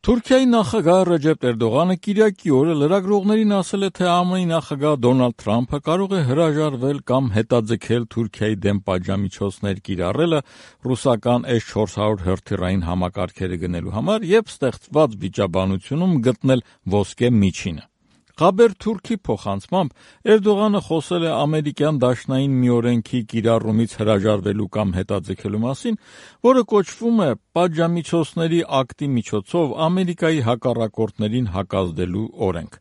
Թուրքիայի նախագահ Ռեջեփ Էրդողանը կիրակի օրը լրագրողներին ասել է, թե ԱՄՆ-ի նախագահ Դոնալդ Թրամփը կարող է հրաժարվել կամ հետաձգել Թուրքիայի դեմ պատժամիջոցներ կիրառելը ռուսական S-400 հրթիռային համակարգերը գնելու համար եւ ստեղծված վիճաբանությունում գտնել ոսկե միջինը։ Խաբեր-Թուրքի փոխանցմամբ Էրդողանը խոսել է ամերիկյան դաշնային մի օրենքի կիրառումից հրաժարվելու կամ հետաձգելու մասին, որը կոչվում է պատժամիջոցների ակտի միջոցով Ամերիկայի հակառակորդներին հակազդելու օրենք։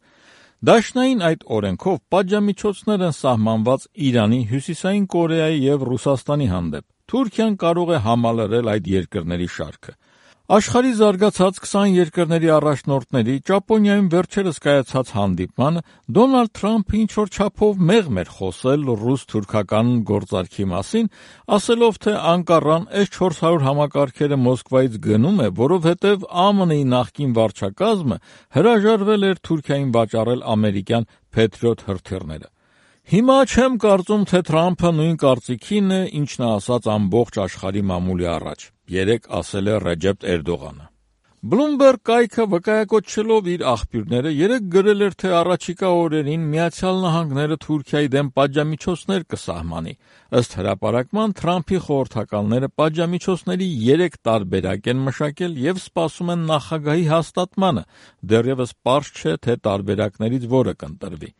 Դաշնային այդ օրենքով պատժամիջոցներ են սահմանված Իրանի, Հյուսիսային Կորեայի եւ Ռուսաստանի հանդեպ։ Թուրքիան կարող է համալրել այդ երկրների շարքը։ Աշխարհի զարգացած 20 երկրների առաջնորդների Ճապոնիայում վերջերս կայացած հանդիպմանը Դոնալդ Թրամփը ինչ-որ չափով մեղմ էր խոսել ռուս-թուրքական գործարքի մասին, ասելով, թե Անկարան S-400 համակարգերը Մոսկվայից գնում է, որովհետև ԱՄՆ-ի նախկին վարչակազմը հրաժարվել էր Թուրքիային վաճառել ամերիկյան Patriot հրթիռները։ Հիմա չեմ կարծում, թե Թրամփը նույն կարծիքին է, ինչն ասաց ամբողջ աշխարհի մամուլի առաջ, երեկ ասել է Ռեջեփ Էրդողանը։ Bloomberg կայքը վկայակոչելով իր աղբյուրները երեկ գրել էր, թե առաջիկա օրերին Միացյալ Նահանգները Թուրքիայի դեմ պատժամիջոցներ կսահմանի։ Ըստ հրապարակման Թրամփի խորհրդականները պատժամիջոցների 3 տարբերակ են մշակել եւ սպասում են նախագահի հաստատմանը, դեռևս պարզ չէ, թե տարբերակներից որը կընտրվի։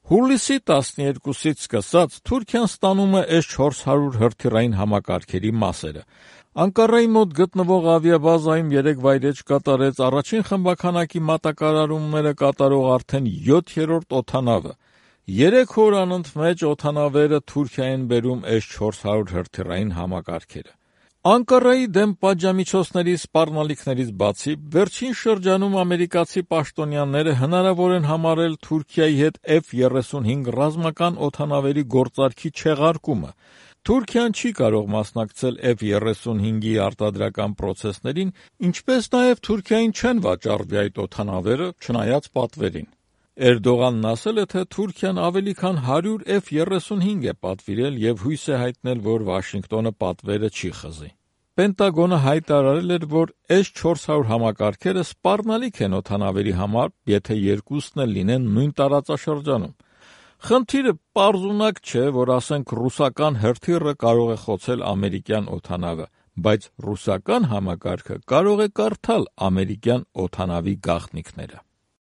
Հուլիսի 12-ից սկսած Թուրքիան ստանում է S-400 հրթիռային համակարգերի մասերը։ Անկարայի մոտ գտնվող ավիաբազայում երեկ վայրէջք կատարեց առաջին խմբաքանակի մատակարարումները կատարող արդեն 7-րդ օդանավը։ 3 օր անընդմեջ օդանավերը Թուրքիա են բերում S-400 հրթիռային համակարգերը։ Անկարայի դեմ պատժամիջոցների սպառնալիքներից բացի, վերջին շրջանում ամերիկացի պաշտոնյաները հնարավոր են համարել Թուրքիայի հետ F-35 ռազմական օդանավերի գործարքի չեղարկումը։ Թուրքիան չի կարող մասնակցել F-35-ի արտադրական պրոցեսներին, ինչպես նաև Թուրքիային չեն վաճառվի այդ օդանավերը, չնայած պատվերին։ Էրդողանն ասել է, թե Թուրքիան ավելի քան 100 F-35 է պատվիրել եւ հույս է հայտնել, որ Վաշինգտոնը պատվերը չի խզի։ Պենտագոնը հայտարարել էր, որ S-400 համակարգերը սպառնալիք են օդանավերի համար, եթե երկուսն էլ լինեն նույն տարածաշրջանում։ Խնդիրը պարզունակ չէ, որ ասենք ռուսական հրթիռը կարող է խոցել ամերիկյան օդանավը, բայց ռուսական համակարգը կարող է կարդալ ամերիկյան օդանավի գաղտնիքները։